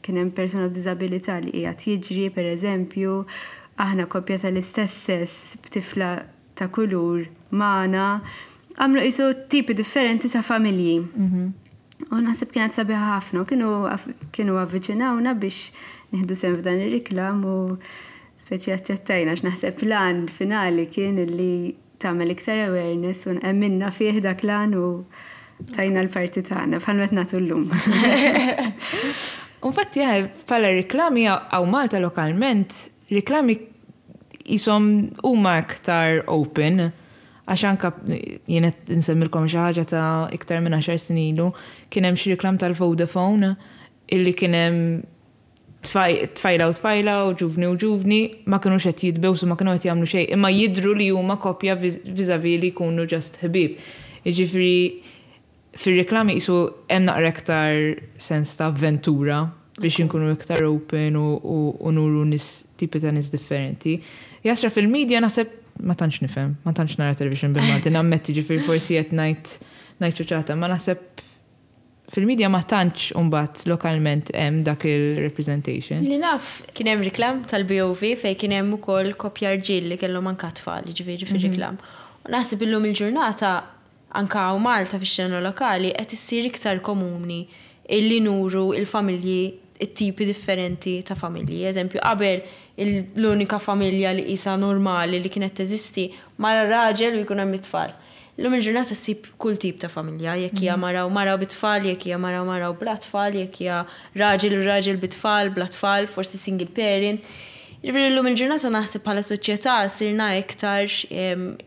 kien hemm persuna b'diżabilità li qiegħed jiġri, per eżempju, aħna koppja tal-istess sess b'tifla ta' kulur magħna, għamlu qisu tipi differenti ta' familji. Mhm. U naħseb kienet sabiħa ħafna, kienu kienu avviċinawna biex nieħdu sehem f'dan ir-riklam u speċi aċċettajna x'naħseb l-għan finali kien illi tagħmel iktar awareness u emminna fih dak l-għan u tajna l-parti tagħna bħal meta nagħtu llum. Infatti bħala reklami hawn Malta lokalment, reklami qishom huma iktar open, għax anka jien qed insemmilkom xi ħaġa ta' iktar minn għaxar snin ilu, kien hemm xi reklam tal-Vodafone illi kien hemm tfajla u tfajla u ġuvni u ġuvni ma kinux qed jitbewsu, ma kienu qed jagħmlu xejn, imma jidru li huma koppja vis-a-vis li jkunu just ħbieb. Jiġifieri fir-reklami qisu hemm naqra iktar sens ta' avventura biex inkunu iktar open u, u, u nuru nies, tipi ta' nies differenti. Jasra fil-medja naħseb ma tantx nifhem, ma tantx nara television bil-Malti, nammetti, ġifieri forsi qed ngħid ngħid ċuċata, ma naħseb fil-medja ma tantx imbagħad lokalment hemm dak il-representation. Li naf kien hemm reklam tal-B O V fejn kien hemm ukoll koppja rġiel li kellhom anka tfal, ġifieri fir-reklam. U naħseb illum il-ġurnata anka hawn Malta fix-xena lokali qed issir iktar komuni illi nuru il-familji, it-tipi differenti ta' familji. Eżempju, qabel l-unika familja li qisha normali li kienet teżisti mara raġel u jkun hemm it-tfal. Illum il-ġurnata ssib kull tip ta' familja, jekk hija mara u mara bit-tfal, jekk hija mara u mara u bla tfal, jekk hija raġel u raġel bit-tfal, bla tfal, forsi single parent. Ġifieri llum il-ġurnata naħseb bħala soċjetà sirna iktar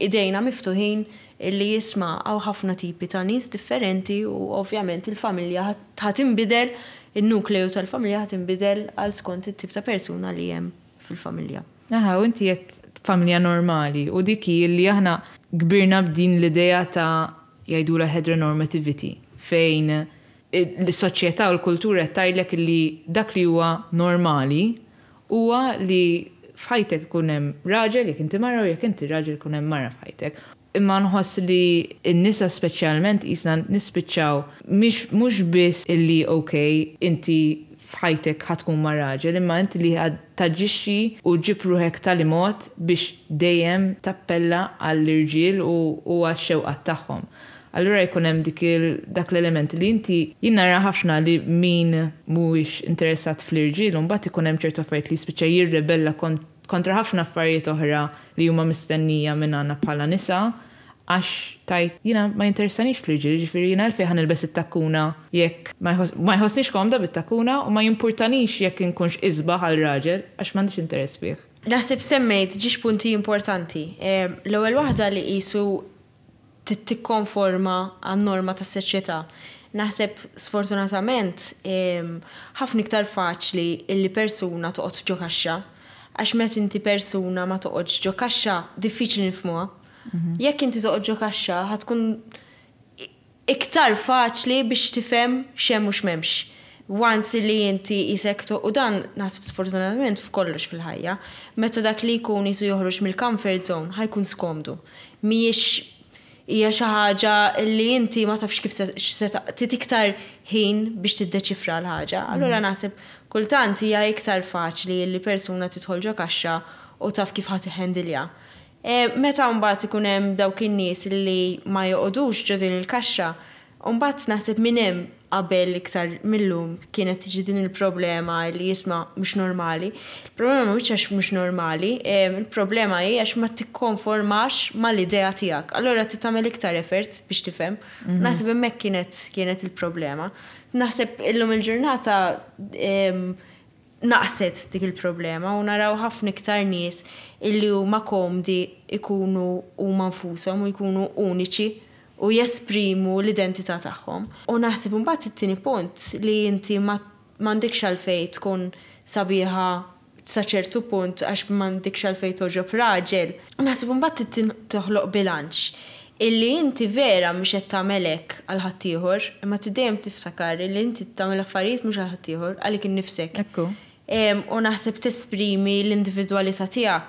idejna miftuħin illi jisma' hawn ħafna tipi ta' nies differenti u ovvjament il-familja ħa tinbidel, il-nukleu tal-familja ħa tinbidel għal skont it-tip ta' persuna li hemm fil-familja. Aha, u inti qed familja normali u dik hi li aħna kbirna b'din l-idea ta' jgħidula heteronormativity, fejn l-soċjetà u l-kultura tgħidlek li dak li huwa normali huwa li f'ħajtek ikun hemm raġel jekk inti mara u jekk inti raġel ikun hemm mara f'ħajtek. Imma nħoss li n-nisa speċjalment qisna nispiċċaw mhux biss illi ok, inti f'ħajtek ħa tkun ma' raġel, imma inti li taġixxi u ġib ruħek tali mod biex dejjem tappella għall-irġiel u għax-xewqat tagħhom. Allura jkun hemm dik dak l-element li inti jien nara ħafna li min mhuwiex interessat fl-irġiel u mbagħad ikun hemm ċertu affarijiet li jispiċċa jirrebella kontra ħafna affarijiet oħra li huma mistennija minn għandna bħala nisa, għax tgħid, "Jiena ma jinteressanix fl-irġiel, ġifieri jiena għalfejn ħa nilbes it-takkuna jekk ma jħossnix komda bit-takkuna u ma jimpurtanix jekk inkunx isbaħ għal raġel għax m'għandix interess fih." Naħseb semmejt żewġ punti importanti. L-ewwel waħda li qisu tikkonforma għan-norma tas-soċjetà. Naħseb sfortunatament ħafna iktar faċli illi persuna toqgħod ġo kaxxa. Għax meta inti persuna ma toqgħodx ġo kaxxa, diffiċli nifhmuha. Mhm. Jekk inti toqgħod ġo kaxxa, ħa tkun iktar faċli biex tifhem x'hemm u x'm'hemmx. Once li inti qisek u dan naħseb sfortunatament f'kollox fil-ħajja, meta dak li jkun qisu joħroġ mill-comfort zone, ħa jkun skomdu. Mhijiex hija xi ħaġa li inti ma tafx kif se trid iktar ħin biex tiddeċifra l-ħaġa. Allura mhm. naħseb kultant hija iktar faċli li persuna tidħol ġo kaxxa u taf kif ħa tiħendilja. E, meta mbagħad ikun hemm dawk in-nies li ma joqogħdux ġo din il-kaxxa, mbagħad naħseb minn hemm Qabel iktar millum kienet tiġi din il-problema li jisma' mhux normali. Il-problema mhux għax mhux normali, il-problema hi għax ma tikkonformax mal-idea tiegħek. Allura trid tagħmel iktar effort biex tifhem. Mhm. Naħseb hemmhekk kienet kienet il-problema. Naħseb illum il-ġurnata naqset dik il-problema u naraw ħafna iktar nies illi huma komdi ikunu huma nfushom u jkunu uniċi u jesprimu l-identità tagħhom. U naħseb imbagħad it-tieni punt li inti ma m'għandekx għalfejn tkun sabiħa sa ċertu punt għax m'għandekx għalfejn togħġob raġel. Naħseb imbagħad trid toħloq bilanċ illi inti vera mhux qed tagħmel hekk għal ħaddieħor, imma trid dejjem tiftakar illi inti tagħmel affarijiet mhux għal ħaddieħor, għalik innifsek. Ekku. U naħseb tesprimi l-individwalità tiegħek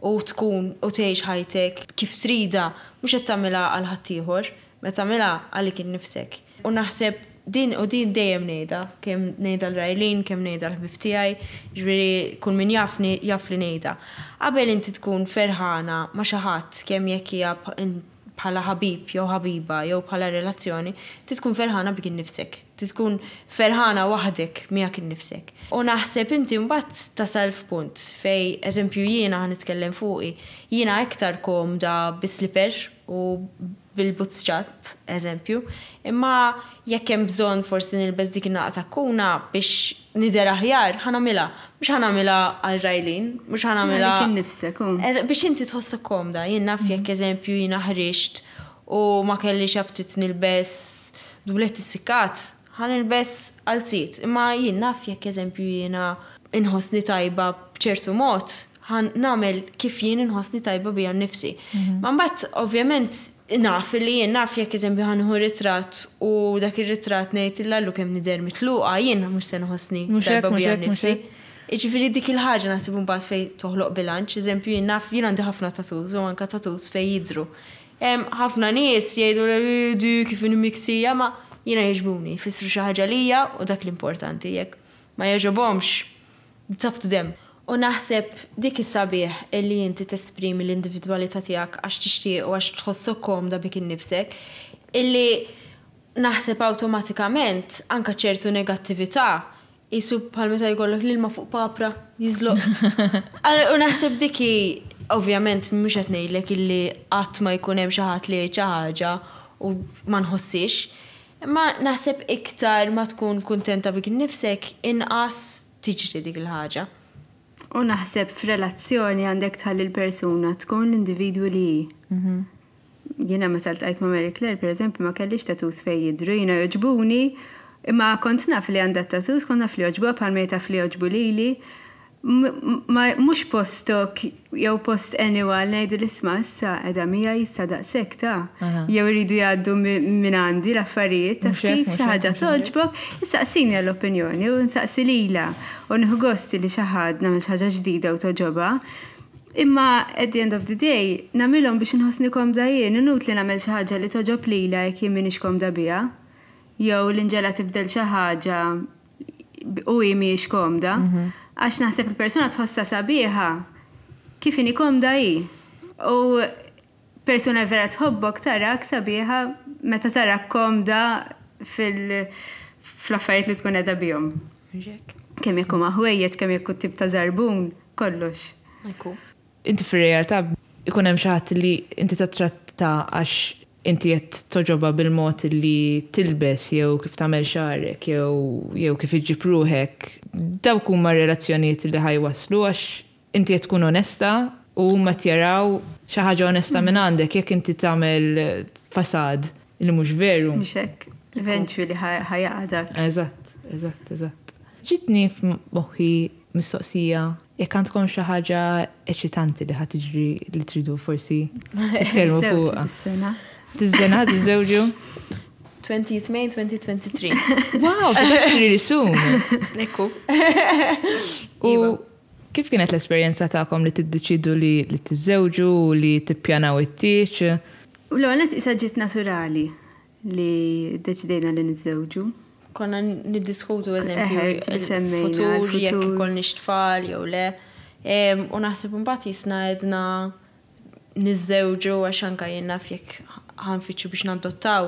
u tkun u tgħix ħajtek kif tridha, mhux qed tagħmilha għal ħaddieħor, ma tagħmilha għalik innifsek. U naħseb din u din dejjem ngħidha, kemm ngħidha lil Raylene, kemm ngħidha l-ħbieb tiegħi, ġifieri kull min jafni jaf li ngħidha. Qabel inti tkun ferħana ma' xi ħadd kemm jekk hija bħala ħabib jew ħabiba jew bħala relazzjoni, trid tkun ferħana bik innifsek. Trid tkun ferħana waħdek miegħek innifsek. U naħseb inti mbagħad tasal f'punt fej, eżempju jiena ħa nitkellem fuqi, jiena iktar komda bi-slipper u bil-boots ċatt, eżempju, imma jekk hemm bżonn forsi nilbes dik in-naqa takkuna biex nidher aħjar, ħa nagħmilha. Mhux ħa nagħmilha għal Raylene, mhux ħa nagħmilha. Għalik innifsek, u. Biex inti tħossok komda, jien naf jekk eżempju jiena ħriġt u ma kellix aptit nilbes dublet issikkat, ħa nilbes qalziet. Imma jien naf jekk eżempju jiena inħossni tajba b'ċertu mod, ħa nagħmel kif jien inħossni tajba bija nnifsi. Ma mbagħad ovvjament naf li jien naf jekk eżempju ħa nieħu ritratt u dak ir-ritratt ngħid illallu kemm nidher mitluqa, jien mhux se nħossni Mhux hekk, tajba mhux bija hekk, mhux nnifsi. hekk. Jiġifieri dik il-ħaġa naħseb imbagħad fejn toħloq bilanċ, eżempju jien naf jien għandi ħafna tattoos u anke tattoos fejn jidhru. Ħafna nies jgħidu li di kif inhi miksija, ma jiena jogħġbuni, jfissru xi ħaġa lija u dak l-importanti jekk ma jogħġobhomx, it's up to them. U naħseb dik is-sabiħ illi inti tesprimi l-individwalità tiegħek għax tixtieq u għax tħossok komda bik innifsek, illi naħseb awtomatikament anka ċertu negattività jisu bħal meta jkollok l-ilma fuq papra jiżloq. U naħseb dik hi, ovvjament mhux qed ngħidlek illi qatt ma jkun hemm xi ħadd li jgħid xi ħaġa u ma nħossix. Imma naħseb iktar ma tkun kuntenta bik innifsek inqas tiġri dik il-ħaġa. U naħseb f'relazzjoni għandek tħalli l-persuna tkun l-individwu li hi. Mhm. Jiena meta ltqajt ma' Mary Claire, per eżempju, ma kellix tattoos fejn jidhru, jiena jogħġbuni, imma kont naf li għandha tattoos, kont naf li jogħġbuha bħal taf li jogħġbu lili. Ma mhux postok jew post anyone ngħidu l-isma' issa qiegħda miegħi issa daqshekk ta' jew iridu jgħaddu minn għandi l-affarijiet taf kif xi ħaġa togħġbok, issaqsini għall-opinjoni u nsaqsi lilha u nieħu gost li xi ħadd nagħmel xi ħaġa ġdida u togħġobha. Imma at the end of the day nagħmilhom biex inħossni komda jien, inutli nagħmel xi ħaġa li togħġob lilha jekk jien m'iniex komda biha. Jew l-inġela tibdel xi ħaġa u hi mhijiex komda. Għax naħseb il-persuna tħossha sabiħa kif inhi komda hi. U persuna vera tħobbok tarak sabiħa meta tarak komda fil-affarijiet li tkun qiegħda bihom. Kemm jekk huma ħwejjeġ, kemm jekk tip ta' żarbun, kollox. Inti fir-realtà ikun hemm xi ħadd li inti tattratta għax inti qed togħġobha bil-mod li tilbes jew kif tagħmel xagħrek jew jew kif iġġib ruħek. Dawk huma relazzjonijiet li ħa jwasslu għax inti qed tkun onesta u huma jaraw xi ħaġa onesta minn għandek jekk inti tagħmel fasad li mhux veru. Mhux hekk. Eventually ħa jaqa' dak. Eżatt, eżatt, eżatt. Ġitni f'moħħi mistoqsija jekk għandkom xi ħaġa eċitanti li ħa tiġri li tridu forsi titkellmu fuqha. Dis-sena. Tiż-sena tiżżewġu? twentieth May twenty twenty-three. Wow, so that's really soon. Ekku. U kif kienet l-esperjenza tagħkom li tiddeċidu li li tiżżewġu u li tippjanaw it-tieġ? U l-għonet isa ġiet naturali li deċidejna li niżżewġu. Konna niddiskutu eżempju Eħe, ġieli semmejna il-futur, il-futur. jekk ikollniex tfal jew le. Em, U naħseb imbagħad jisna għedna niżżewġu għax anka jien naf jekk ħa nfittxu biex nadottaw,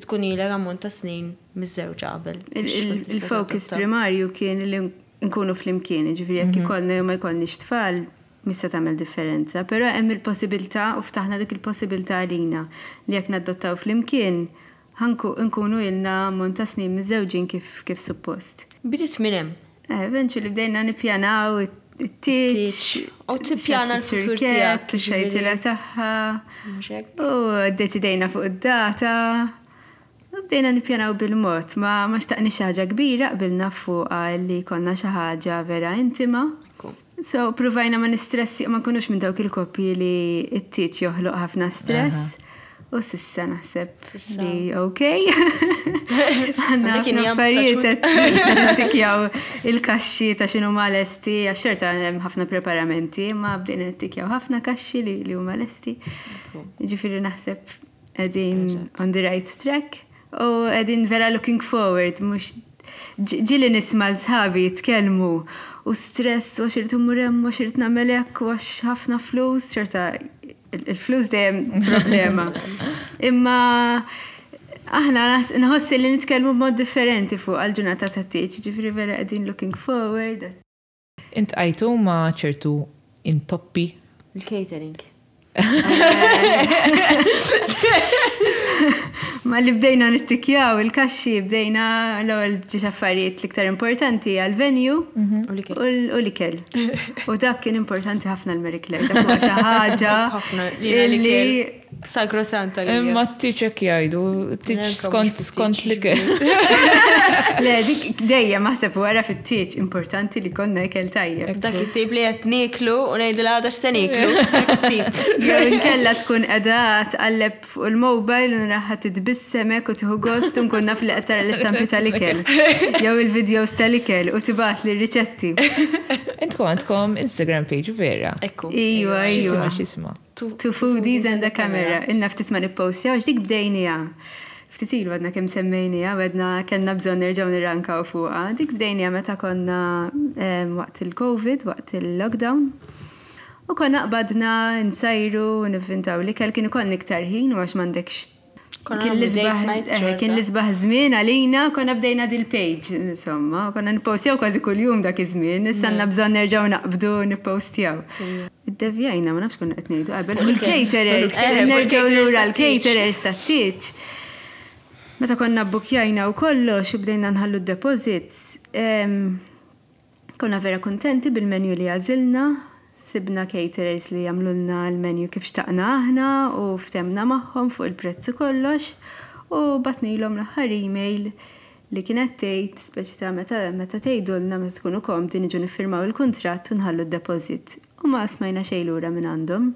Tkun ilek ammont ta' snin miżżewġa qabel. Il- biex il- tkun tista' Il-focus tadotta. Primarju kien li nkunu flimkien, ġifieri jekk ikollna jew ma jkollniex tfal, mista tagħmel differenza, però hemm il-possibilità u ftaħna dik il-possibilità għalina li jekk nadottaw flimkien ħanku nkunu ilna ammont ta' snin miżżewġin kif kif suppost. Bdiet minn hemm. Eh, Eventually bdejna nippjanaw it-tieġ. Tieġ. U tippjana l-futur tiegħek, U xejtila ġifieri. tagħha. Mhux hekk? U deċidejna fuq id-data. U bdejna nippjanaw bil-mod, ma ma xtaqni xi ħaġa kbira, qbilna fuqha li konna xi ħaġa vera intima. Ekku. So, provajna ma nistressi, ma nkunux minn dawk il-koppji li it-tieġ joħloq ħafna stress. U s'issa naħseb S'issa. li ok. Għandna Dik ħafna injam affarijiet ta' qed nittikjaw il-kaxxi ta' x'inhu ma lesti, għax xorta hemm ħafna preparamenti, ma bdejna nittikjaw ħafna kaxxi li li huma lesti. Ġifieri naħseb qegħdin on the right track u qegħdin vera looking forward, mhux ġieli nisma' 'l sħabi jitkellmu u stress u għax irrid immur hemm u għax irrid nagħmel hekk u għax ħafna flus, xorta il-flus dejjem problema. Imma aħna nħossi li nitkellmu b'mod differenti fuq għal-ġurnata ta' tieġ, ġifieri vera qegħdin looking forward. Iltqajtu ma' ċertu intoppi? Il-catering. Ma li bdejna nittikjaw il-kaxxi, bdejna l-ewwel ġiex affarijiet l-iktar importanti għal-venue U l-ikel. u l-ikel. U dak kien importanti ħafna l-Marie Claire, dak huwa xi ħaġa Ħafna lina illi l-ikel. Sagrosanta li. Imma t-tieġ jgħidu, t-tieġ Nenka skont mhux skont fit-tieġ. li ke. Le, dik dejjem naħseb wara fit-tieġ importanti li konna ikel tajjeb. Dak it-tip li qed nieklu u ngħidilha għada x'se nieklu. Dak it-tip. Jew inkella tkun qiegħda tqalleb fuq il-mobile u naraha titbissemek u tieħu gost u nkun naf li qed tara l-istampi tal-ikel. Jew il-videos tal-ikel u tibgħat li riċetti. Intkom għandkom Instagram page, vera? Ekku. Iwa, X'isma, iwa. x'isma? Two foodies and a camera. Ilna ftit ma nippostja, għax dik bdejnija. Ftit ilu għadna kemm semmejnija, għedna kellna bżonn nerġgħu nirrankaw fuqha. Dik bdejnija meta konna em, waqt il-Covid, waqt il-lockdown. U konna qbadna nsajru u nivvintaw l-ikel, kien ikollna iktar ħin u għax m'għandekx Konna kien nagħmlu l-isbaħ date nights eh, xorta. kien l-isbaħ żmien għalina, konna bdejna dil-page, insomma, konna nippostjaw kważi kuljum dak iż-żmien, issa għandna bżonn nerġgħu naqbdu nippostjaw. Iddevjajna, ma nafx konna qed ngħidu qabel. Fuq il-caterers, Eh, fuq nerġgħu il-caterers lura tat-tieġ. l-caterers tat-tieġ. Meta konna bbukjajna u kollox u bdejna nħallu d-deposits, em, konna vera kontenti bil-menu li għażilna, sibna caterers li jagħmlulna l-menu kif xtaqna aħna u ftehemna magħhom fuq il-prezz u kollox u bgħatnilhom l-aħħar email li kienet tgħid speċi ta' meta meta tgħidulna meta tkunu komdi niġu niffirmaw il-kuntratt u nħallu d-deposit. U ma smajna xejn lura minn għandhom.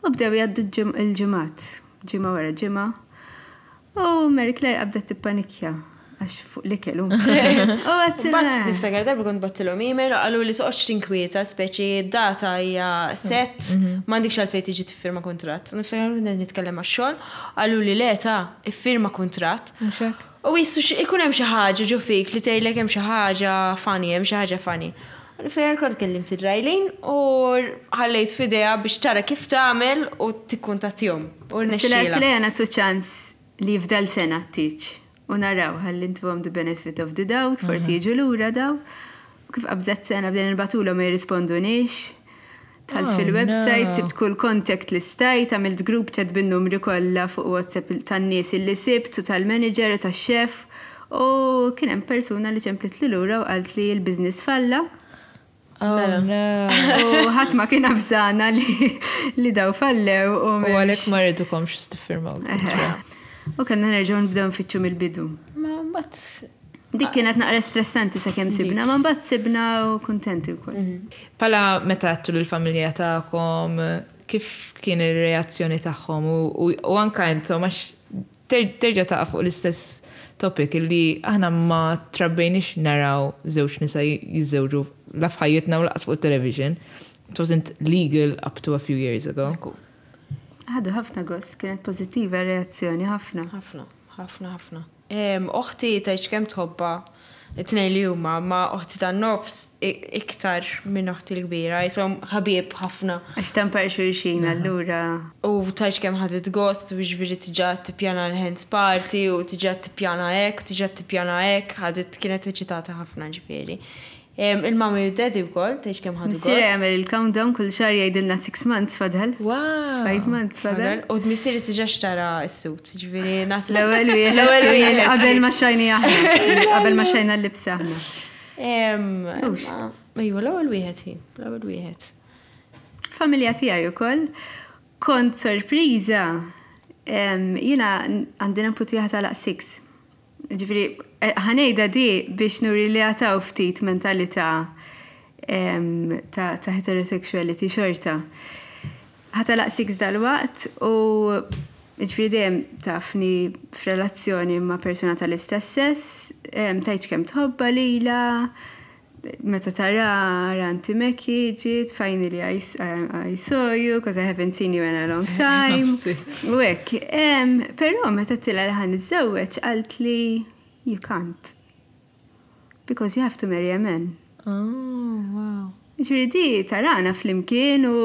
U bdew jgħaddu ġim- il-ġimgħat, ġimgħa wara ġimgħa. U Mary Claire qabdet tippanikja għax fuq l-ikel. U għedt Bat niftakar darba kont bgħattilhom email u qalu li toqgħodx tinkwieta, speċi data hija set, m'għandekx għalfejn tiġi tiffirma kuntratt. Niftakar kont nitkellem għax-xogħol, qalu li le ta' iffirma kuntratt. U jissu ikun hemm xi ħaġa ġo fik li tgħidlek hemm xi ħaġa funny, hemm xi ħaġa funny. U niftakar kont kellimt il-Rajlin u ħallejt f'idejha biex tara kif tagħmel u tikkuntattjahom. U rnexxielha. Tlejja nagħtu ċans li jifdal sena t-tieġ. U naraw, ħalli ntuhom the benefit of the doubt, forsi jiġu lura daw. U kif qabżet sena bdejna nibagħtulhom ma jirrispondunix. Dħalt Oh, fil-website, no. sibt kull contact li stajt, għamilt group chat bin-numri kollha fuq WhatsApp tan-nies illi sibt u tal-manager u tax-chef. U kien hemm persuna li ċemplet li lura u qalt li l-business falla. Oh, Mela. no. U ħadd ma kien avżana li, li daw fallew u U m'hemmx- għalhekk ma riedukomx tiffirmaw. U kellna nerġgħu nibdew nfittxu mill-bidu. Ma mbagħad Dik kienet naqra stressanti sakemm sibna, ma mbagħad sibna u kuntenti wkoll. Pala meta għedtu l-familja tagħkom, kif kien il-reazzjoni tagħhom u, u, u anka intom għax ter- terġa' taqa' fuq l-istess topic illi aħna ma trabbejniex naraw żewġ nisa jiżżewġu la f'ħajjitna u lanqas fuq television. It wasn't legal up to a few years ago. Ħadu ħafna gost, kienet pożittiva reazzjoni ħafna. Ħafna, ħafna, ħafna. Em, Oħti tgħidx kemm tħobbha It-tnejn li huma ma oħti tan-nofs iktar minn oħti l-kbira, jisom ħabieb ħafna. Għax tampar xulxin allura. U tgħidx kemm ħadet gost, u ġifieri diġà tippjana l-hens party, u diġà tippjana hekk, u diġà tippjana hekk, ħadet kienet eċitata ħafna ġifieri. Il-mummy u daddy wkoll, tgħidx kemm ħadu gost. Missieri jagħmel il-countdown kull xahar jgħidilna six months fadal. Wow. Five months fadal. U missieri diġà xtara s-suit, ġifieri naħseb. L-ewwel wieħed. L-ewwel wieħed. Qabel ma xtrajna aħna. Qabel ma xtrajna l-libsa aħna. Ejwa, l-ewwel wieħed hi, l-ewwel wieħed. Familja tiegħi wkoll. Kont sorpriża. Jiena għandi neputi ħa tagħlaq six. Ġifieri, ħa ngħidha di biex nuri li għad hawn ftit mentalità ta' heterosexuality xorta. Ħa tagħlaq six dal-waqt u ġifieri dejjem tafni f'relazzjoni ma' persona tal-istess sess, tgħidx kemm tħobbha lila, meta tara Auntie Meki ġiet, finally I, I saw you, because I haven't seen you in a long time. U hekk, però meta għedtilha li ħa niżżewweġ qalt li you can't. Because you have to marry a man. Oh, wow. Ġifieri di tarana flimkien u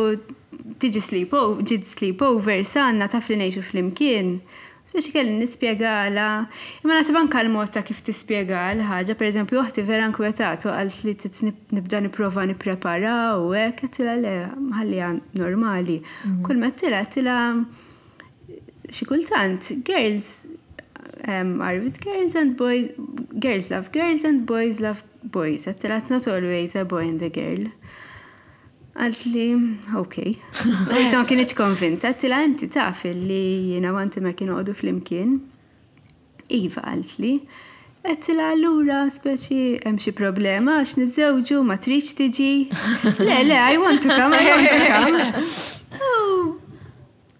tiġi sleepover, ġiet sleepover sanna taf li ngħixu flimkien. Speċi kelli nispjegala. Imma naħseb anka l-mod ta' kif tispjega l-ħaġa, per eżempju, oħti vera nkwetat u qalt li nibda nipprova nipprepara u hekk, għedtilha le, ħalliha normali. Kull ma għedtilha, għedtilha xi kultant, girls um, are with girls and boys, girls love girls and boys love boys. Għedtilha it's not always a boy and a girl. Qalt li, ok. Issa ma kinitx konvinta, għedtilha inti taf li jiena u Auntie ma kienu għodu flimkien. Iva qalt li. Għedtilha allura speċi hemm xi problema għax niżżewġu ma tridx tiġi. Le, le, I want to come, I want to come. Oh,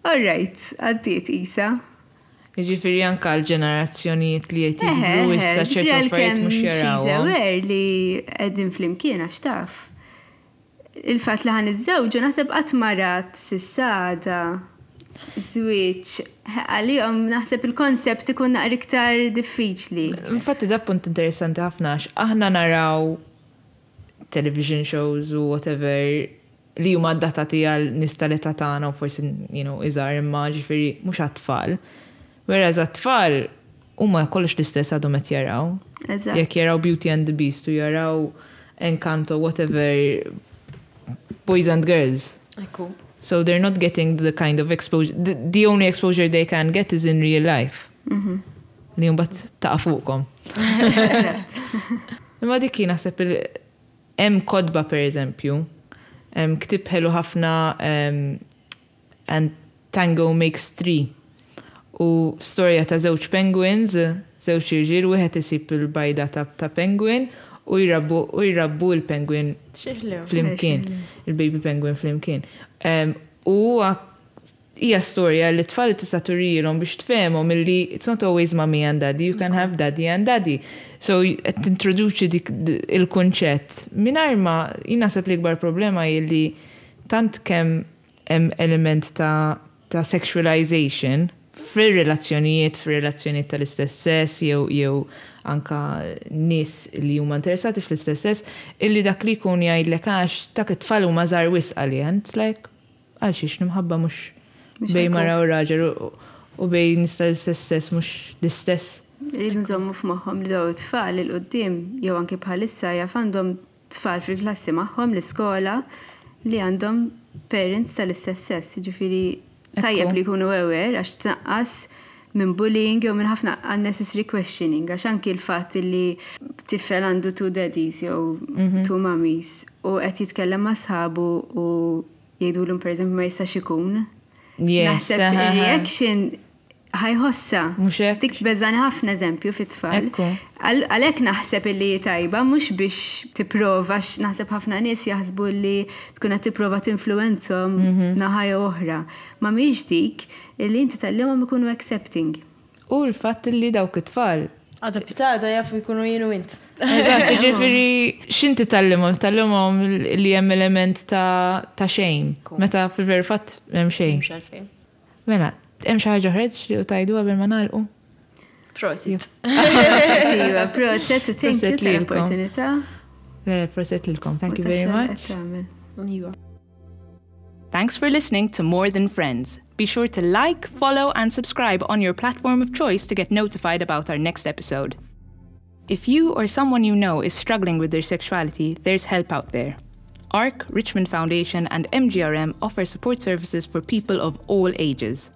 all right, għaddiet isa. Ġifieri anka l-ġenerazzjonijiet li qed jikbru issa ċertu affarijiet mhux jarawhom. Aware li qegħdin flimkien għax taf. Il-fatt li ħa niżżewġu naħseb qatt ma rat s'issa għada żwieġ għalihom naħseb il-konsept ikun naqra iktar diffiċli. Infatti da punt interessanti ħafna għax aħna naraw television shows u whatever li huma adattati għal nies tal-età tagħna u forsi you know, iżgħar imma ġifieri mhux għat-tfal. Whereas għat-tfal huma kollox l-istess għadhom qed jaraw. Eżatt. Jekk jaraw Beauty and the Beast u jaraw Encanto, whatever, boys and girls. Ekku. So they're not getting the kind of exposure, the, the only exposure they can get is in real life. Li mbagħad taqa' fuqkom. Imma dik kien naħseb il- hemm kotba per eżempju, hemm ktieb ħelu ħafna um, and Tango Makes Three. U storja ta' żewġ penguins, żewġ irġiel, wieħed isib il-bajda ta', ta' penguin u jrabbu u jrabbu l-penguin X'ħelu. flimkien, il-baby penguin flimkien. Um, u hija storja li tfal tista' turijilhom biex tfehmhom illi it's not always mommy and daddy, you can have daddy and daddy. So qed tintroduċi dik il-kunċett. Mingħajr ma jien naħseb li ikbar problema hi li tant kemm hemm element ta' ta' sexualization fir-relazzjonijiet, fir-relazzjonijiet tal-istess sess, jew jew anka nies li huma interessati fl-istess sess, illi dak li jkun jgħidlek għax dak it-tfal huma żgħar wisq għalija. It's like, għal xiex l-imħabba mhux Mhux bejn ekku. mara u raġel u- u bejn nies tal-istess sess mhux l-istess. Rridu nżommu f'moħħhom li daw tfal 'il quddiem jew anke bħalissa jaf għandhom tfal fil-klassi magħhom l-iskola li għandhom parents tal-istess sess, ġifieri tajjeb Ekku. li jkunu aware għax tnaqqas minn bullying jew minn ħafna unnecessary questioning għax anki l-fatt li tifel għandu two daddies jew two mummies u qed jitkellem ma' sħabu u jgħidulhom pereżempju ma jistax ikun. Yes, Naħseb aha. il-reaction ħa jħossha. Mhux hekk? Dik tbeżani ħafna eżempju fit-tfal. Ekku. Għal- Għalhekk naħseb illi tajba, mhux biex tipprova, għax naħseb ħafna nies jaħsbu li tkun qed tipprova tinfluwenzhom Mhm. naħa jew oħra. Ma mhix dik illi inti tgħallimhom ikunu accepting. U l-fatt li dawk it-tfal Għada pitgħada jafu jkunu jien u int. Eżatt, ġifieri, x'inti tgħallimhom? Tgħallimhom li hemm element ta' ta' shame. Meta fil-veru fatt hemm xejn. Mhux għalfejn. Mela, hemm xi ħaġa oħra tixtiequ tgħidu qabel ma nagħlqu? Prosit. Prosit, iva, prosit, u thank you Prosit lilkom. tal-opportunità. Le, Prosit lilkom. Thank you very much. Iva. Thanks for listening to More Than Friends. Be sure to like, follow, and subscribe on your platform of choice to get notified about our next episode. If you or someone you know is struggling with their sexuality, there's help out there. ARC, Richmond Foundation, and M G R M offer support services for people of all ages.